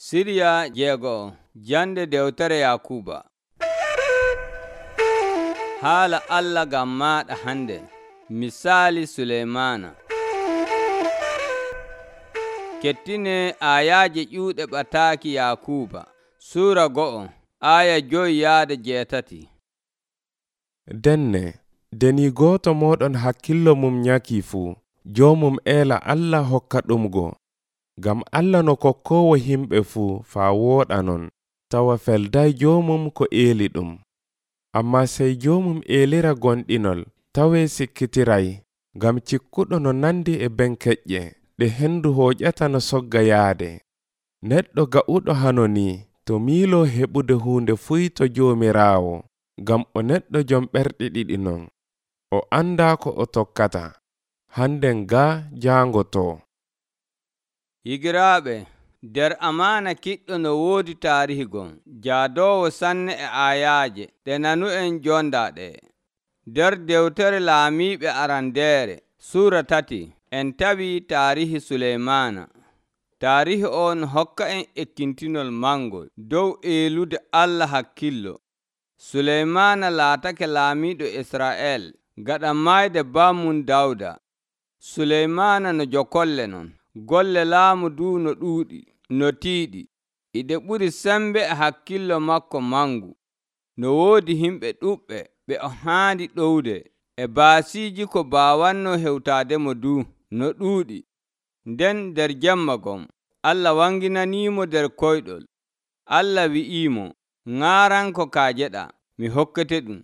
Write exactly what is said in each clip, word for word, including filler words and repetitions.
Siriya jeego'o jande dewtere Yakuuba. Haala Allah ngam maaɗa hande. Misaali Suleymaana. Kettine aayaaje ƴuuɗe ɓataaki Yakuuba. Suura go'o aaya joyi yaade jeetati. Denne, deni gooto mooɗon hakkillo mum nyaki fuu, joomum eela Allah hokka ɗumgo. Ngam Allah no kokkoowo himɓe fuu faa wooɗa non, tawa felday joomum ko eeli ɗum. Ammaa sey joomum eelira gonɗinol, tawee sikkitiray, ngam cikkuɗo no nandi e benkeƴƴe, ɗe hendu hooƴata no sogga yaade. Neɗɗo ga'uɗo hano ni, to miiloo heɓude huunde fuy to Joomiraawo, ngam o neɗɗo jom ɓerɗe ɗiɗi non. O andaa ko o tokkata, handen gaa jaangotoo. Higiraaɓe, nder amaana kiɗɗo no woodi taarihi gon, jaadoowo sanne e aayaaje ɗe nanu'en jondaa ɗe. Nder dewtere Laamiiɓe Arandeere, suura tati, en tawi taarihi Suleymaana. Taarihi on hokka en ekkintinol mangol dow eelude Allah hakkillo. Suleymaana laatake laamiiɗo Israa'el gaɗa maayde bammum Dawda. Suleymaana no jokolle non. Golle laamu du no ɗuuɗi, no tiiɗi, iɗe ɓuri sembe e hakkillo makko mangu. No woodi himɓe ɗuɓɓe ɓe o haandi ɗowde, e baasiiji ko baawanno hewtaademo du no ɗuuɗi. Nden nder jemma gon, Allah wanginaniimo nder koyɗol. Allah wi'iimo, ŋaaranko kaajeɗa, mi hokkete ɗum.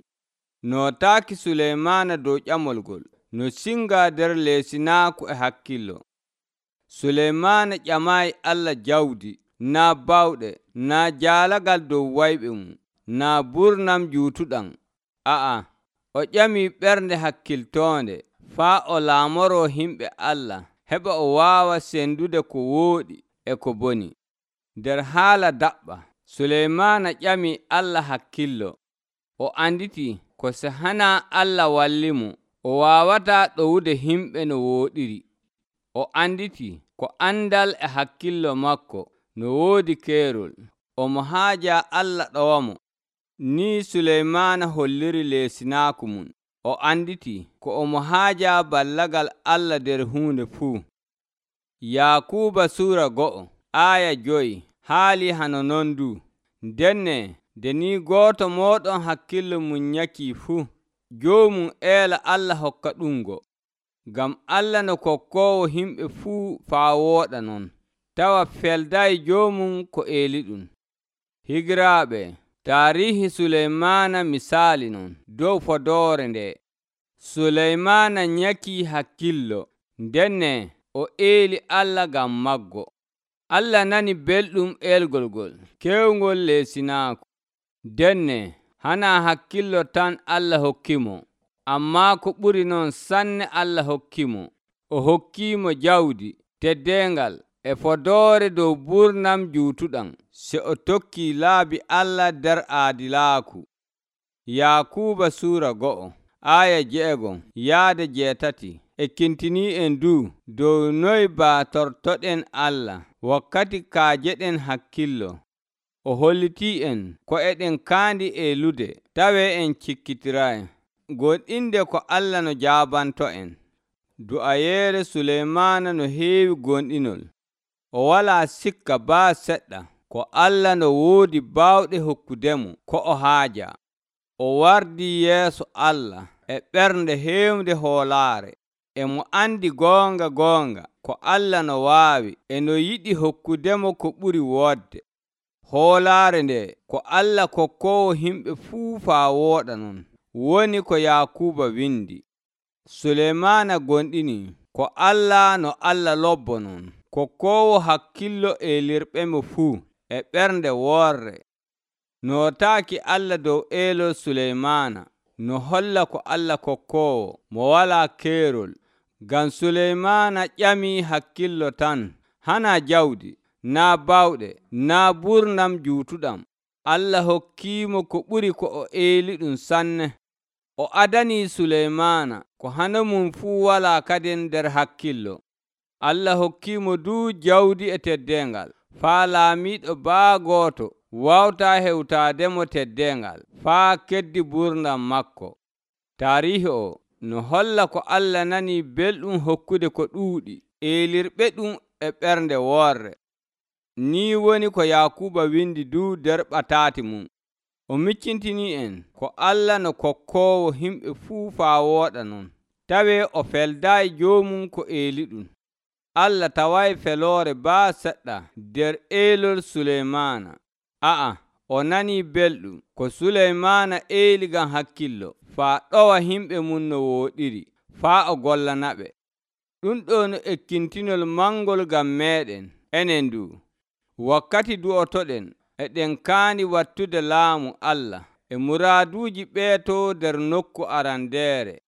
Nootaaki Suleymaana dow ƴamol ngol, no singa nder leesinaaku e hakkillo. Suleymaana ƴamaayi Allah jawdi, naa bawɗe, naa jaalagal dow wayɓe mum, naa burnam juutuɗam. A'a, o ƴamii ɓernde hakkiltoonde faa o laamoroo himɓe Allah, heɓa o waawa sendude ko wooɗi e ko boni. Nder haala daɓɓa, Suleymaana ƴamii Allah hakkillo. O anditi ko so hanaa Allah wallimo, o waawataa ɗowude himɓe no wooɗiri. O anditi ko andal e hakkillo makko no woodi keerol, omo haaja Allah ɗowamo. Ni Suleymaana holliri leesinaaku mum. O anditi ko omo haaja ballagal Allah nder huunde fuu. Yakuuba suura go'o aaya joyi haali hano non du. Denne, nde ni gooto mooɗon hakkillo mum nyakii fuu, joomum eela Allah hokka ɗumgo. Ngam Allah no kokkoowo himɓe fuu faa wooɗa non, tawa felday joomum ko eeli ɗum. Higiraaɓe, taarihi Suleymaana misaali non dow fodoore nde. Suleymaana nyakii hakkillo, ndenne o eeli Allah ngam maggo. Allah nani belɗum eelgol ngol, kewngol leesinaaku. Denne, hanaa hakkillo tan Allah hokkimo, ammaa ko ɓuri non sanne Allah hokkimo. O hokkiimo jawdi, teddeengal, e fodoore dow burnam juutuɗam, se o tokkii laabi Allah nder aadilaaku. Yakuuba suura go'o aaya jeegon yaade jeetati ekkintinii en du dow noy baatortoɗen Allah wakkati kaajeɗen hakkillo. O hollitii en ko eɗen kaandi eelude, tawee en cikkitiray. Gonɗinde ko Allah no jaabanto en. Du'ayeere Suleymaana no heewi gonɗinol. O walaa sikka baa seɗɗa ko Allah no woodi baawɗe hokkudemo ko o haaja. O wardii yeeso Allah e ɓernde heewnde hoolaare, e mo andi goonga goonga ko Allah no waawi e no yiɗi hokkudemo ko ɓuri woodde. Hoolaare nde ko Allah kokkoowo himɓe fuu faa wooɗa non, woni ko Yakuuba windi. Suleymaana gonɗini ko Allah no Allah lobbo non, kokkoowo hakkillo eelirɓemo fuu e ɓernde woorre. Nootaaki Allah dow eelol Suleymaana, no holla ko Allah kokkoowo mo walaa keerol. Ngam Suleymaana ƴamii hakkillo tan, hanaa jawdi, naa bawɗe, naa burnam juutuɗam. Allah hokkiimo ko ɓuri ko o eeli ɗum sanne. O adanii Suleymaana ko hano mum fuu walaa kadin nder hakkillo. Allah hokkiimo du jawdi e teddeengal, faa laamiiɗo baa gooto wawtaa hewtaademo teddengal faa keddi gurdam makko. Taarihi o no holla ko Allah nanii belɗum hokkude ko ɗuuɗi eelirɓe ɗum e ɓernde woorre. Ni woni ko Yaakuuba windi du nder ɓataati mum. O miccintinii en ko Allah no kokkoowo himɓe fuu faa wooɗa non, tawee o feldaayi joomum ko eeli ɗum. Allah taway feloore baa seɗɗa nder eelol Suleymaana. A'a, o nanii belɗum ko Suleymaana eeli ngam hakkillo faa ɗowa himɓe mum no wooɗiri, faa o gollanaɓe. Ɗum ɗo no ekkintinol mangol ngam meeɗen enen du. Wakkati du'otoɗen eɗen kaani wattude laamu Allah e muraaduuji ɓeeto nder nokku arandeere.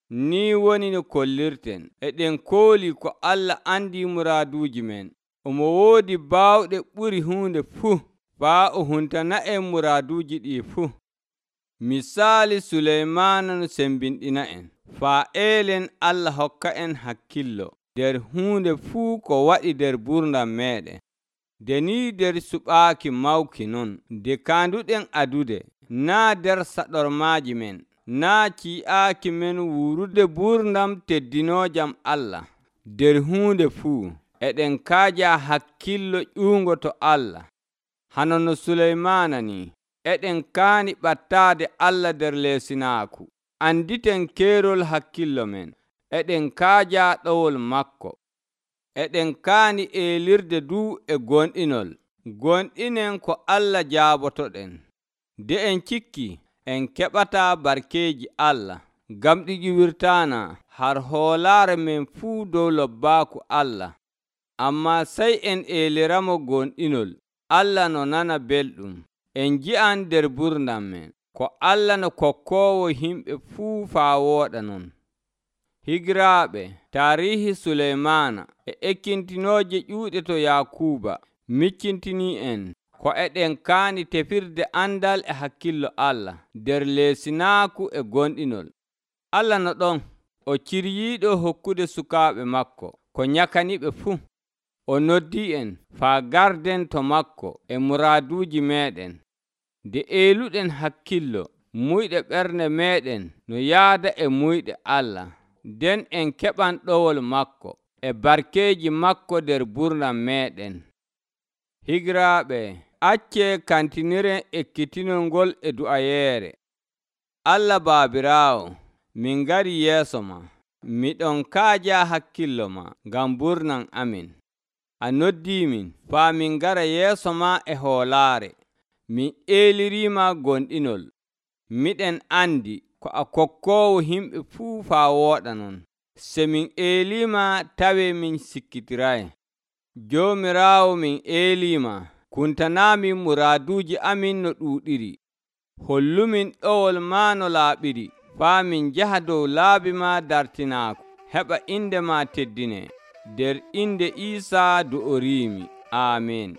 Ni woni no kollirten eɗen koolii ko Allah andi muraaduuji men. Omo woodi baawɗe ɓuri huunde fuu faa o huntana en muraaduuji ɗi fuu. Misaali Suleymaana no sembinɗina en faa eelen Allah hokka en hakkillo nder huunde fuu ko waɗi nder gurdam meeɗen. Nde ni nder suɓaaki mawki non, nde kaanduɗen adude, naa nder saɗormaaji men, naa ci'aaki men wuurude gurdam teddinoojam Allah. Nder huunde fuu eɗen kaaja hakkillo ƴuungo to Allah. Hano no Suleymaana ni, eɗen kaani ɓattaade Allah nder leesinaaku. Anditen keerol hakkillo men, eɗen kaaja ɗowol makko. Eɗen kaani eelirde du e gonɗinol. Gonɗinen ko Allah jaabotoɗen. Nde en cikki, en keɓataa barkeeji Allah, ngam ɗi ƴiwirtaana har hoolaare men fuu dow lobbaaku Allah. Ammaa sey en eeliramo gonɗinol, Allah no nana belɗum. En nji'an nder gurdam men ko Allah no kokkoowo himɓe fuu faa wooɗa non. Higiraaɓe, taarihi Suleymaana e ekkintinooje ƴuuɗe to Yaakuuba miccintinii en ko eɗen kaani tefirde andal e hakkillo Allah nder leesinaaku e gonɗinol. Allah no ɗon, o ciryiiɗo hokkude sukaaɓe makko ko nyakaniɓe fuu. O noddii en faa garden to makko e muraaduuji meeɗen. Nde eeluɗen hakkillo, muyɗe ɓernde meeɗen no yaada e muyɗe Allah, nden en keɓan ɗowol makko e barkeeji makko nder gurdam meeɗen. Higiraaɓe, accee kantiniren ekkitinol ngol e du'ayeere. Allah Baabiraawo, min ngari yeeso ma, miɗon kaaja hakkillo ma ngam gurdam amin. A noddiimin faa min ngara yeeso ma e hoolaare. Min eeliriima gonɗinol. Miɗen andi ko a kokkoowo himɓe fuu faa wooɗa non. Se min eeliima tawee min sikkitiray. Joomiraawo, min eeliima, kuntanaamin muraaduuji amin no ɗuuɗiri. Hollumin ɗowol ma no laaɓiri, faa min njaha dow laabi ma dartinaaku, heɓa inde ma teddine. Nder inde Iisaa du'oriimi. Aamin.